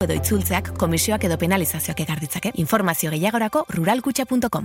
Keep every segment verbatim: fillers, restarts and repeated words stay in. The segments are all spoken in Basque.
edo itzultzeak komisioak edo penalizazioak ekar ditzake. Informazio gehiagorako ruralkutxa puntu com.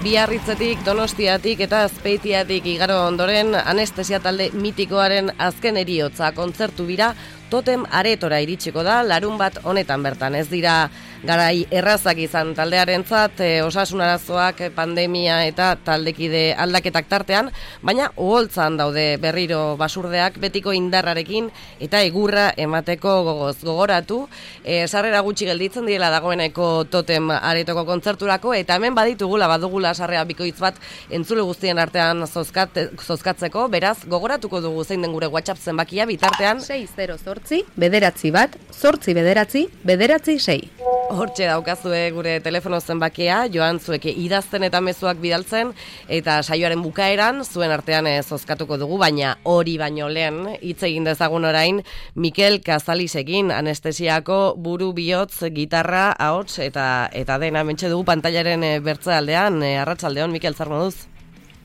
Biarritzetik, Donostiatik eta Azpeitiatik igaro ondoren anestesia talde mitikoaren azken heriotza kontzertu bira Totem Aretora iritsiko da larun bat honetan bertan. Ez dira garai errazak izan taldearentzat, e, osasun arazoak, pandemia eta taldekide aldaketak tartean, baina uholtzan daude berriro basurdeak betiko indarrarekin eta egurra emateko gogoz. Gogoratu, e, sarrera gutxi gelditzen direla dagoeneko Totem Aretoko kontzerturako, eta hemen baditugula badugula sarrera bikoitz bat entzule guztien artean zozkat, zozkatzeko, beraz gogoratuko dugu zein den gure WhatsApp zenbakia bitartean sei zero zortzi, bederatzi bat, zortzi bederatzi, bederatzi sei. Hortxe daukazue gure telefono zenbakia, joan zueke idazten eta mezuak bidaltzen, eta saioaren bukaeran zuen artean ez zozkatuko dugu, baina hori baino lehen hitz egin dezagun orain Mikel Kazalisekin, anestesiako buru bihotz, gitarra, ahots eta eta dena mentxe dugu pantailaren bertzealdean. Arratsaldeon, Mikel, zer moduz?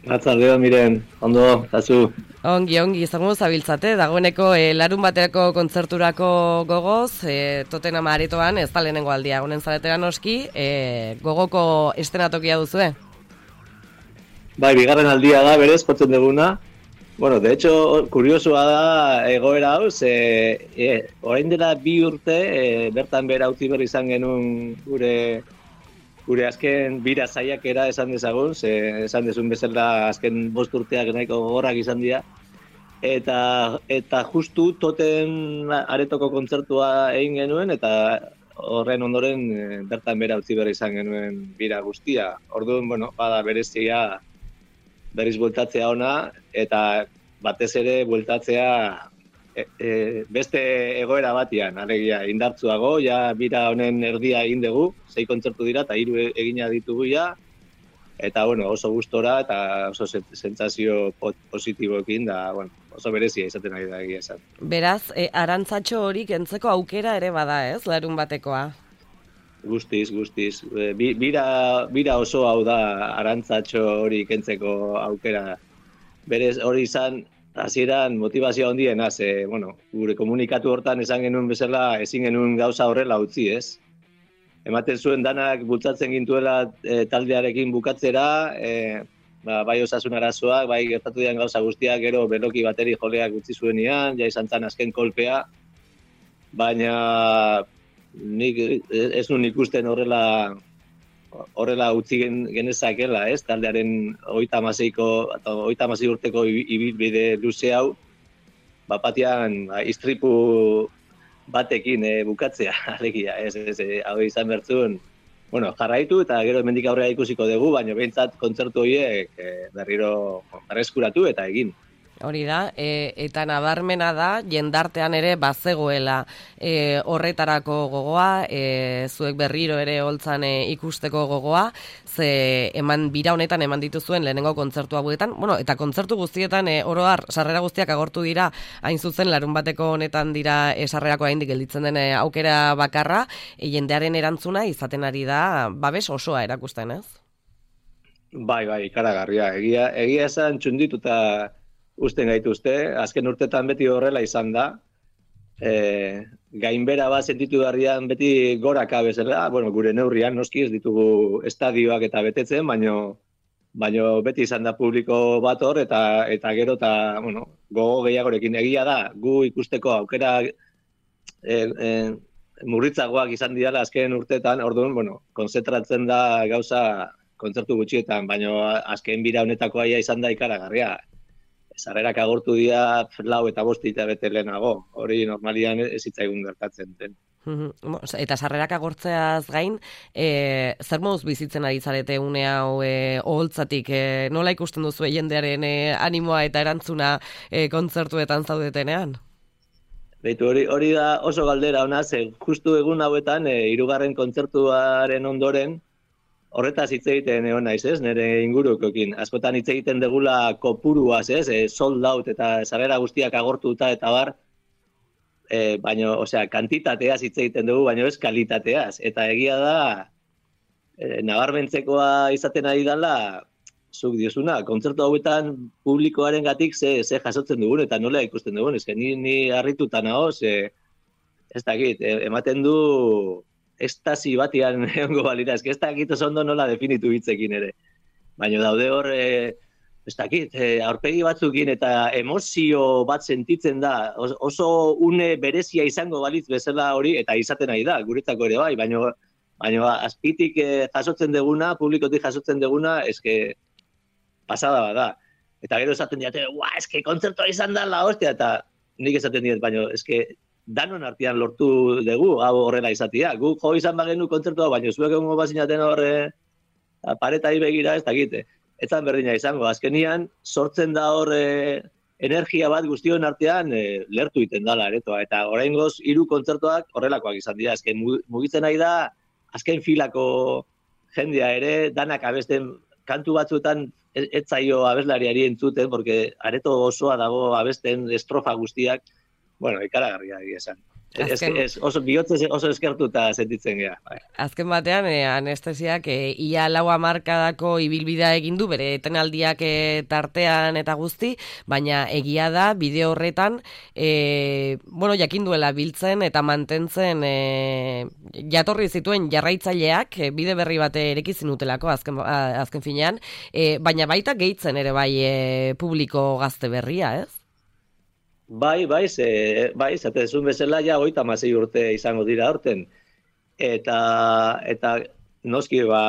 Arratsaldeon, Miren, ondo, zazu. Ongi, ongi, zer moduz zabiltzate, dagoeneko e, larun baterako kontzerturako gogoz, e, Totem Aretoan, ez da lehenengo aldia, honen zaretera noski, e, gogoko estenatokia duzue? Bai, bigarren aldia da, berez, jotzen duguna. Bueno, de hecho, kuriosua da egoera hau, ze, e, orain dela bi urte, e, bertan bera utzi berri izan genuen gure gure azken bira saiakera esan dezagun, ze esan dezun bezala azken bost urteak nahiko gogorrak izan dira. Eta, eta justu Totem Aretoko kontzertua egin genuen, eta horren ondoren e, bertan bera utzi berri izan genuen bira guztia. Orduan, bueno, bada berezia berriz bueltatzea ona, eta batez ere bueltatzea e, e, beste egoera batian, alegia indartzuago, ja bira honen erdia egin dugu, sei kontzertu dira eta hiru egina ditugu ja, eta bueno, oso gustora eta oso sentsazio positiboekin da, bueno, oso berezia izaten ari da egia esan. Beraz, e, arantzatxo hori kentzeko aukera ere bada, ez, larun batekoa? Guztiz, guztiz. Bi, bira, bira oso hau da arantzatxo hori kentzeko aukera. Berez hori izan, hasieran motivazio handiena, ze, bueno, gure komunikatu hortan esan genuen bezala ezin genuen gauza horrela utzi, ez? Ematen zuen danak bultzatzen gintuela e, taldearekin bukatzera, e, ba, bai osasun arazoak, bai gertatu dian gauza guztiak, gero beloki bateri joleak utzi zuenian, ja izan zan azken kolpea, baina nik ez nun ikusten horrela horrela utzi genezakela, ez? Taldearen hogeita hamaseiko eta hogeita hamasei urteko ibilbide luze hau, bapatian istripu batekin e, bukatzea, alegia, ez, ez, hau izan bertzun, bueno, jarraitu eta gero hemendik aurrera ikusiko dugu, baina behintzat kontzertu horiek e, berriro berreskuratu eta egin. Hori da, e, eta nabarmena da, jendartean ere bazegoela e, horretarako gogoa, e, zuek berriro ere holtzan e, ikusteko gogoa, ze eman bira honetan eman dituzuen lehenengo kontzertu hauetan, bueno, eta kontzertu guztietan e, oro har, sarrera guztiak agortu dira, hain zuzen larun bateko honetan dira e, sarrerako haindik gelditzen den e, aukera bakarra, e, jendearen erantzuna izaten ari da, babes osoa erakusten, ez? Bai, bai, ikaragarria, egia, egia esan txundituta usten gaituzte, azken urtetan beti horrela izan da, e, gainbera bat sentitu darrian beti goraka bezala, bueno, gure neurrian noski ez ditugu estadioak eta betetzen, baino, baino beti izan da publiko bat hor, eta, eta gero eta, bueno, gogo gehiagorekin egia da, gu ikusteko aukera e, e, murritzagoak izan dira azken urtetan, orduan, bueno, konzentratzen da gauza kontzertu gutxietan, baino azken bira honetako aia izan da ikaragarria. Sarrerak agortu dira lau eta bost hilabete lehenago, hori normalian ez zitzaigun gertatzen den. Eta sarrerak agortzeaz gain, e, zer moduz bizitzen ari zarete une hau e, oholtzatik, e, nola ikusten duzu jendearen e, animoa eta erantzuna e, kontzertuetan zaudetenean? Beitu, hori, hori da oso galdera ona, ze justu egun hauetan, e, hirugarren kontzertuaren ondoren, horretaz hitz egiten egon naiz, ez, nire ingurukokin. Askotan hitz egiten degula kopuruaz, ez, e, sold out eta sarrera guztiak agortuta eta bar, e, baino, osea, kantitateaz hitz egiten dugu, baino ez kalitateaz. Eta egia da, e, nabarmentzekoa izaten ari dela, zuk diozuna, kontzertu hauetan publikoaren gatik ze, ze jasotzen dugun eta nola ikusten dugun, ez ni, ni harrituta nago, ze, ez dakit, ematen du estasi batian egongo balira, ez dakit oso ondo nola definitu hitzekin ere. Baina daude hor, e, ez dakit, e, aurpegi batzukin eta emozio bat sentitzen da, oso une berezia izango balitz bezala hori, eta izaten nahi da, guretzako ere bai, baina baina azpitik e, jasotzen deguna, publikotik jasotzen deguna, eske pasada bada. Eta gero esaten diate, ua, eske kontzertua izan da la hostia, eta nik esaten diet, baina eske danon artean lortu dugu, hau horrela izatea. Guk jo izan bagenu kontzertua, baina zuek egongo bazinaten horre paretai begira, ez dakite. Etzan berdina izango, azkenian sortzen da horre energia bat guztion artean e, lertu iten dala aretoa. Eta oraingoz hiru kontzertuak horrelakoak izan dira. Azken mugitzen nahi da, azken filako jendea ere, danak abesten kantu batzuetan ez zaio abeslariari entzuten, porque areto osoa dago abesten estrofa guztiak, bueno, ikaragarria egia esan. Ez, ez, oso bihotzez oso eskertuta sentitzen gea. Azken batean, e, anestesiak e, ia lau hamarkadako ibilbidea egin du, bere etenaldiak e, tartean eta guzti, baina egia da, bideo horretan, e, bueno, jakin duela biltzen eta mantentzen e, jatorri zituen jarraitzaileak, e, bide berri bate erekizin utelako, azken, azken finean, e, baina baita gehitzen ere bai e, publiko gazte berria, ez? Bai, bai, ze, bai, zatezun bezala ja hogeita hamasei urte izango dira horten. Eta, eta noski, ba,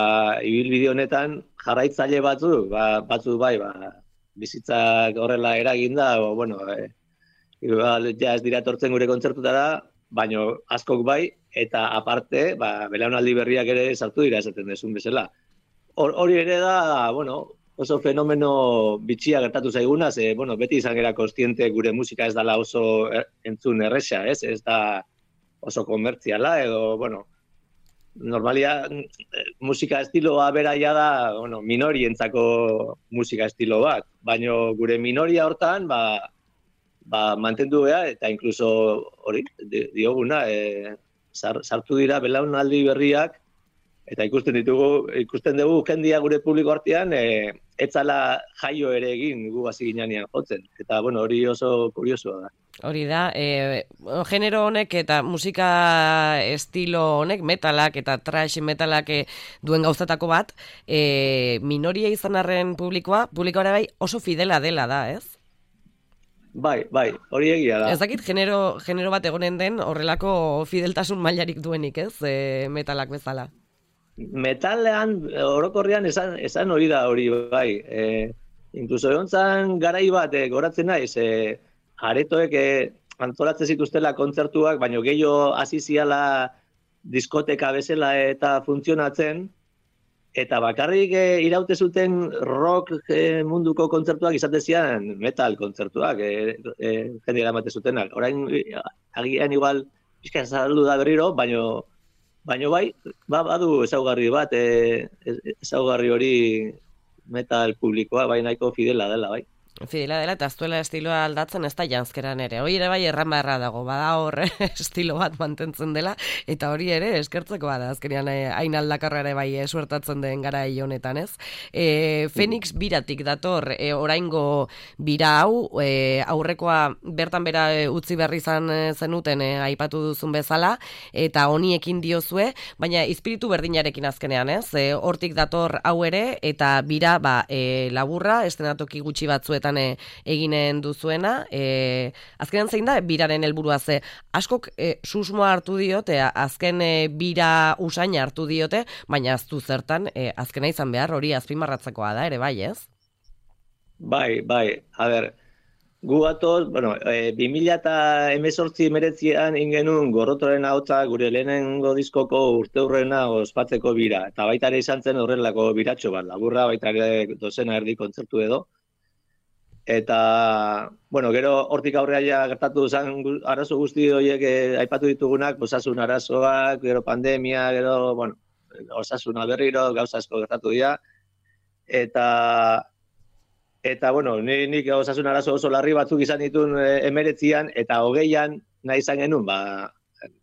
ibilbide honetan jarraitzaile batzu, ba, batzu bai, ba, bizitzak horrela eraginda, o, bueno, e, ja ez dira etortzen gure kontzertutara, baino askok bai, eta aparte, ba, belaunaldi berriak ere sartu dira esaten dezun bezala. Hori ere da, bueno, oso fenomeno bitxia gertatu zaiguna, ze, bueno, beti izan gara kontziente gure musika ez dala oso entzun erresa, ez? Ez da oso komertziala, edo, bueno, normalia musika estiloa beraia da, bueno, minorientzako musika estilo bat, baina gure minoria hortan, ba, ba mantendu beha, eta inkluso hori, dioguna, e, sartu dira belaunaldi berriak, eta ikusten ditugu, ikusten dugu jendia gure publiko artean, e, etzala jaio ere egin gu hasi ginean jotzen. Eta, bueno, hori oso kuriosoa da. Hori da, e, genero honek eta musika estilo honek, metalak eta thrash metalak e, duen gauzatako bat, e, minoria izan arren publikoa, publikoa bai oso fidela dela da, ez? Bai, bai, hori egia da. Ez dakit genero, genero bat egonen den horrelako fideltasun mailarik duenik, ez, e, metalak bezala. Metalean, orokorrean esan, esan hori da hori bai. E, inkluso egon zan garai bat, e, goratzen naiz, e, aretoek e, antolatzen zituztela kontzertuak, baina gehiago hasi ziala diskoteka bezala eta funtzionatzen, eta bakarrik e, iraute zuten rock e, munduko kontzertuak izate zian metal kontzertuak, e, e, jende eramate zutenak. Orain, agian igual, pixka saldu da berriro, baina Baina bai, ba, badu ezaugarri bat, e, ezaugarri hori metal publikoa, bai nahiko fidela dela, bai. Fidela dela, eta aztuela estiloa aldatzen ez da janzkeran ere. Hori ere bai erran beharra dago, bada hor estilo bat mantentzen dela, eta hori ere eskertzeko bada, azkenean hain aldakarra ere bai suertatzen den gara honetan, ez? E, Phoenix biratik dator, e, oraingo bira hau, e, aurrekoa bertan bera e, utzi berri izan zenuten, e, aipatu duzun bezala, eta honiekin diozue, baina izpiritu berdinarekin azkenean, ez? E, hortik dator hau ere, eta bira, ba, e, laburra, estenatoki gutxi batzuetan eginen duzuena, e, azkenean zein da biraren helburua, ze askok e, susmoa hartu diote, azken e, bira usaina hartu diote, baina aztu zertan e, azkena izan behar hori azpimarratzakoa da ere, bai ez? Bai, bai, a ber, gu atoz, bueno, e, bi mila hemezortzi meretzian ingenun Gorrotoaren ahotsa gure lehenengo diskoko urteurrena ospatzeko bira, eta baita ere izan zen horrelako biratxo bat, laburra baita ere dozena erdi kontzertu edo. Eta, bueno, gero hortik aurrea ja gertatu zen arazo guzti horiek eh, aipatu ditugunak, osasun arazoak, gero pandemia, gero, bueno, osasuna berriro, gauza asko gertatu dira. Eta, eta bueno, ni, nik osasun arazo oso larri batzuk izan ditun eh, emeretzian, eta hogeian nahi izan genuen, ba,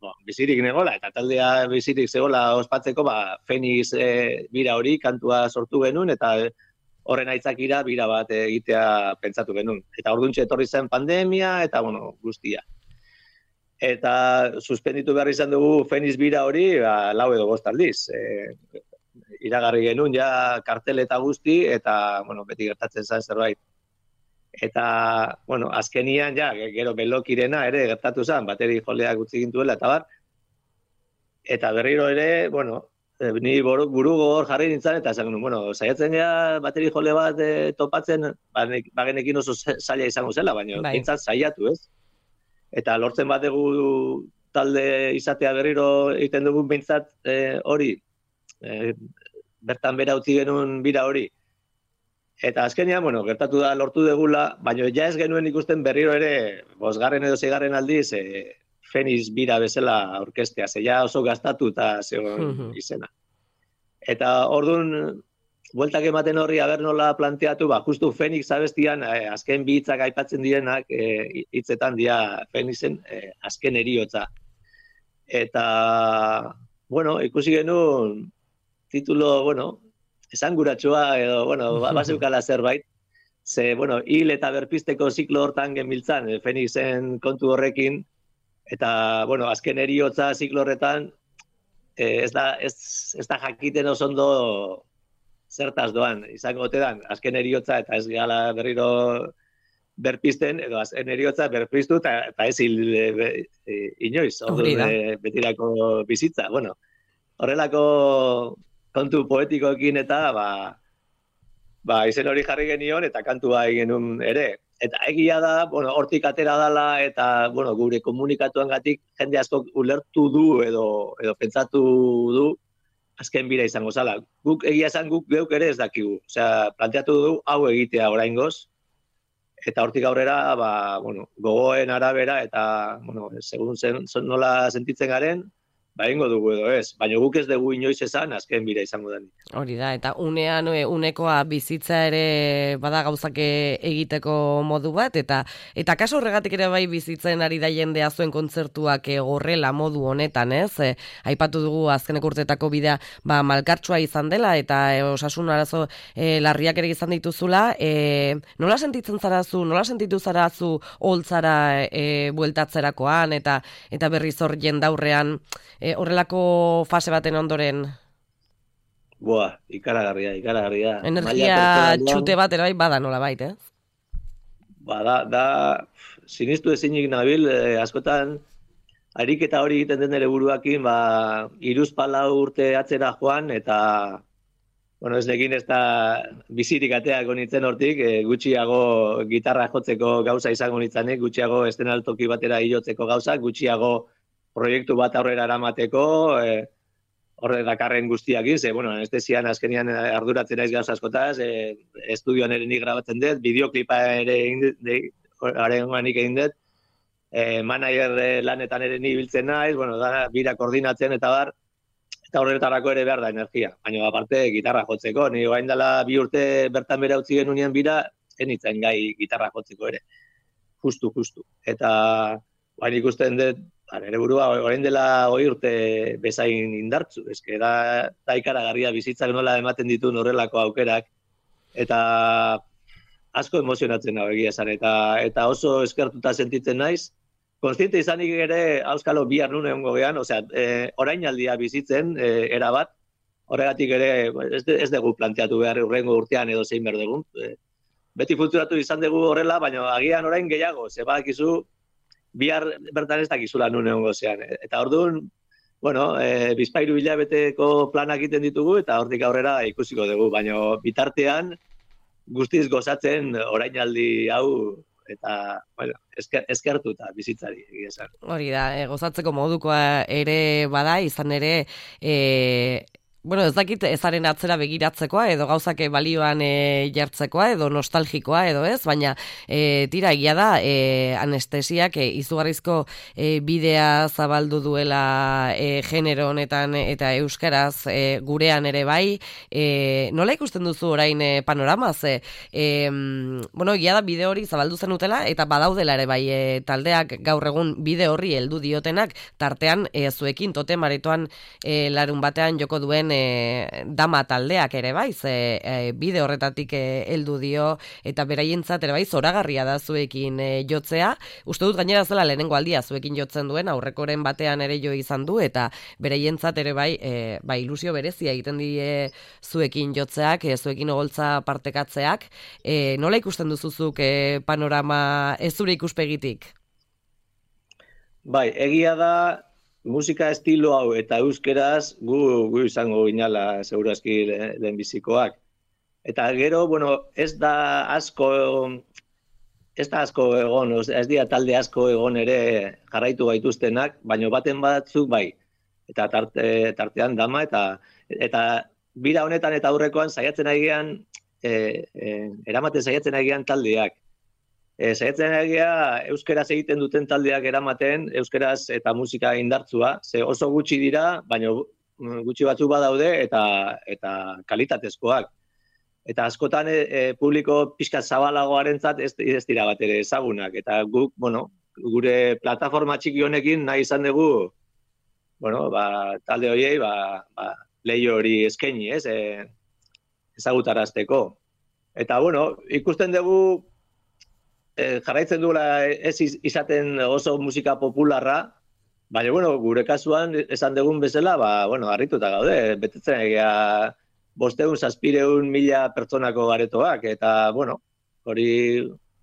bo, bizirik negola, eta taldea bizirik zegoela ospatzeko, ba, Fenix eh, bira hori kantua sortu genuen, eta horren aitzakira bira bat egitea pentsatu genuen. Eta orduntxe etorri zen pandemia, eta bueno, guztia. Eta suspenditu behar izan dugu Fenix bira hori, ba, lau edo bost aldiz. E, iragarri genuen ja kartel eta guzti, eta bueno, beti gertatzen zen zerbait. Eta, bueno, azkenian ja, gero belokirena ere gertatu zen, bateri joleak utzi gintuela, eta bar. Eta berriro ere, bueno, ni buru gogor jarri nintzen, eta esan genuen, bueno, saiatzen gara bateri jole bat e, topatzen, bagenekin oso zaila izango zela, baina bai. Bintzat saiatu, ez? Eta lortzen bat dugu talde izatea berriro egiten dugun bintzat e, hori, e, bertan bera utzi genuen bira hori. Eta azkenean, bueno, gertatu da lortu degula, baina ja ez genuen ikusten berriro ere, bosgarren edo seigarren aldiz, e, Fenix bira bezala orkestea, ze ja oso gastatu eta zegoen izena. Eta orduan, bueltak ematen horri aber nola planteatu, ba, justu Fenix abestian, eh, azken bi hitzak aipatzen direnak, eh, hitzetan dira Fenixen eh, azken eriotza. Eta, bueno, ikusi genuen titulo, bueno, esanguratsua edo, bueno, bazeukala zerbait, ze, bueno, hil eta berpisteko ziklo hortan genbiltzan, eh, Fenixen kontu horrekin, eta, bueno, azken eriotza ziklo horretan, eh, ez, da, ez, ez da jakiten oso ondo zertaz doan, izango ote dan, azken eriotza eta ez gala berriro berpisten, edo azken eriotza berpiztu eta, eta ez hil e, e, inoiz, orduan e, betirako bizitza. Bueno, horrelako kontu poetikoekin eta, ba, ba, izen hori jarri genion eta kantua egin genuen ere. Eta egia da, bueno, hortik atera dala eta, bueno, gure komunikatuangatik jende asko ulertu du edo, edo pentsatu du azken bira izango zala. Guk egia esan guk geuk ere ez dakigu. Osea, planteatu du hau egitea oraingoz. Eta hortik aurrera, ba, bueno, gogoen arabera eta, bueno, segun zen, nola sentitzen garen, ba, ingo dugu edo ez. Baina guk ez dugu inoiz esan azken bira izango denik. Hori da, eta unean unekoa bizitza ere bada gauzak egiteko modu bat, eta eta kaso horregatik ere bai bizitzen ari da jendea zuen kontzertuak gorrela modu honetan, ez? E, aipatu dugu azkenek urteetako bidea ba, malkartsua izan dela, eta e, osasun arazo e, larriak ere izan dituzula. E, nola sentitzen zarazu, nola sentitu zarazu holtzara e, bueltatzerakoan, eta eta berriz hor jendaurrean e, horrelako fase baten ondoren? Boa, ikaragarria, ikaragarria. Energia txute bat ere bai bada nola bait, ez? Ba, da, da sinistu ezinik nabil, eh, askotan ariketa hori egiten den ere buruakin, ba, hiruzpalau urte atzera joan, eta, bueno, ez nekin ez da bizirik ateako nintzen hortik, eh, gutxiago gitarra jotzeko gauza izango nintzanik, gutxiago estenaltoki batera hilotzeko gauza, gutxiago proiektu bat aurrera eramateko, eh, horre dakarren guztiakin, ze, bueno, anestesian azkenian arduratzen naiz gauza askotaz, e, estudioan ere nik grabatzen dut, bideoklipa ere arengoan nik egin dut, e, manager lanetan ere ni biltzen naiz, bueno, da, bira koordinatzen eta bar, eta horretarako ere behar da energia. Baina, aparte, gitarra jotzeko, ni orain dela bi urte bertan bera utzi genuen bira, enitzen gai gitarra jotzeko ere. Justu, justu. Eta, baina ikusten dut, nire burua, orain dela hoi urte bezain indartzu, eske da, da ikaragarria bizitzak nola ematen ditu horrelako aukerak, eta asko emozionatzen nago egia esan, eta, eta oso eskertuta sentitzen naiz, konstiente izanik ere, auskalo bihar nune hongo gehan, osea, e, orainaldia bizitzen, e, erabat, horregatik ere, ez, de, ez dugu planteatu behar urrengo urtean edo zein behar dugu, e, beti funtzionatu izan dugu horrela, baina agian orain gehiago, ze badakizu, bihar bertan ez dakizula nun egongo zean. Eta orduan, bueno, e, bizpairu hilabeteko planak egiten ditugu, eta hortik aurrera ikusiko dugu, baina bitartean guztiz gozatzen orainaldi hau, eta, bueno, esker, eskertu eta bizitzari egia esan. Hori da, e, gozatzeko modukoa ere bada, izan ere, e, Bueno, ez dakit ezaren atzera begiratzekoa edo gauzak balioan e, jartzekoa edo nostalgikoa edo ez, baina e, tira egia da e, anestesiak e, izugarrizko e, bidea zabaldu duela e, genero honetan eta euskaraz e, gurean ere bai. E, nola ikusten duzu orain e, panoramaz? E, e, bueno, egia da bide hori zabaldu zen utela eta badaudela ere bai e, taldeak gaur egun bide horri heldu diotenak, tartean e, zuekin totem aretoan e, larun batean joko duen E, dama taldeak ere bai, ze e, bide horretatik heldu dio eta beraientzat ere bai zoragarria da zuekin e, jotzea. Uste dut gainera zela lehenengo aldia zuekin jotzen duen, aurrekoren batean ere jo izan du eta beraientzat ere bai, e, bai ilusio berezia egiten die zuekin jotzeak, e, zuekin ogoltza partekatzeak. E, nola ikusten duzuzuk e, panorama ez zure ikuspegitik? Bai, egia da musika estilo hau eta euskeraz gu, gu izango ginala segurazki lehenbizikoak. Eta gero, bueno, ez da asko, ez da asko egon, ez dira talde asko egon ere jarraitu gaituztenak, baina baten batzuk bai. Eta tarte, tartean dama eta eta bira honetan eta aurrekoan saiatzen agian, e, e, eramaten saiatzen agian taldeak. E, saiatzen egia euskeraz egiten duten taldeak eramaten, euskeraz eta musika indartzua, ze oso gutxi dira, baina gutxi batzuk badaude eta eta kalitatezkoak. Eta askotan e, e, publiko pixka zabalagoarentzat ez, ez dira bat ere ezagunak. Eta guk, bueno, gure plataforma txiki honekin nahi izan dugu, bueno, ba, talde horiei ba, ba, leio hori eskaini, ez, e, ezagutarazteko. Eta, bueno, ikusten dugu jarraitzen duela ez izaten oso musika popularra, baina, bueno, gure kasuan esan dugun bezala, ba, bueno, harrituta gaude, betetzen egia bosteun, zazpireun mila pertsonako garetoak, eta, bueno, hori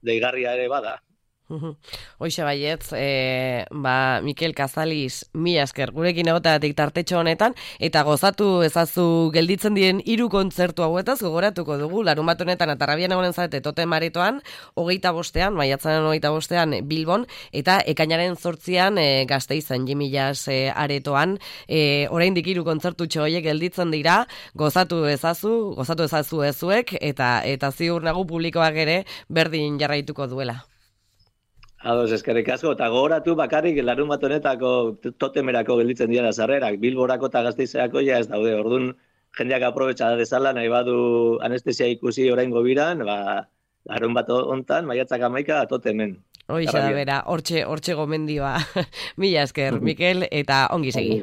deigarria ere bada. Hoxe baietz, e, ba, Mikel Kazaliz, mila esker, gurekin egotatik tartetxo honetan, eta gozatu ezazu gelditzen diren hiru kontzertu hauetaz, gogoratuko dugu, larun bat honetan atarrabian egonen zarete totem aretoan, hogeita bostean, maiatzaren hogeita bostean Bilbon, eta ekainaren zortzian e, Gasteizen Jimillas e, aretoan, e, oraindik hiru kontzertu txoiek gelditzen dira, gozatu ezazu, gozatu ezazu ezuek, eta, eta ziur nagu publikoak ere berdin jarraituko duela. Ados, eskerrik asko, eta gogoratu bakarrik larun bat honetako totemerako gelditzen dira sarrerak, Bilborako eta Gasteizerako ja ez daude, orduan jendeak aprobetxa dezala, nahi badu anestesia ikusi oraingo biran, ba, larun bat hontan, maiatzak hamaika totemen. Hoixe da bera, hortxe, hortxe gomendioa. Mila esker, Mikel, eta ongi segi.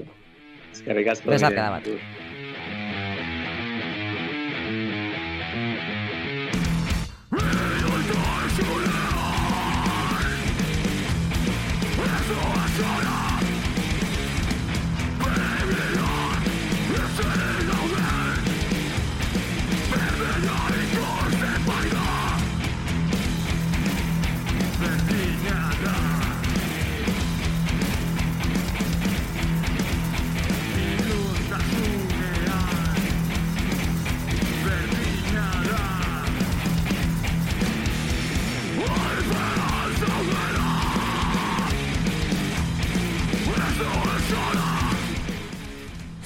Eskerrik asko. Besarkada bat.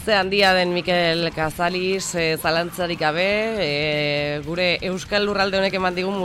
Ze handia den Mikel Kazaliz, e, zalantzarik gabe, e, gure Euskal Lurralde honek eman digun musika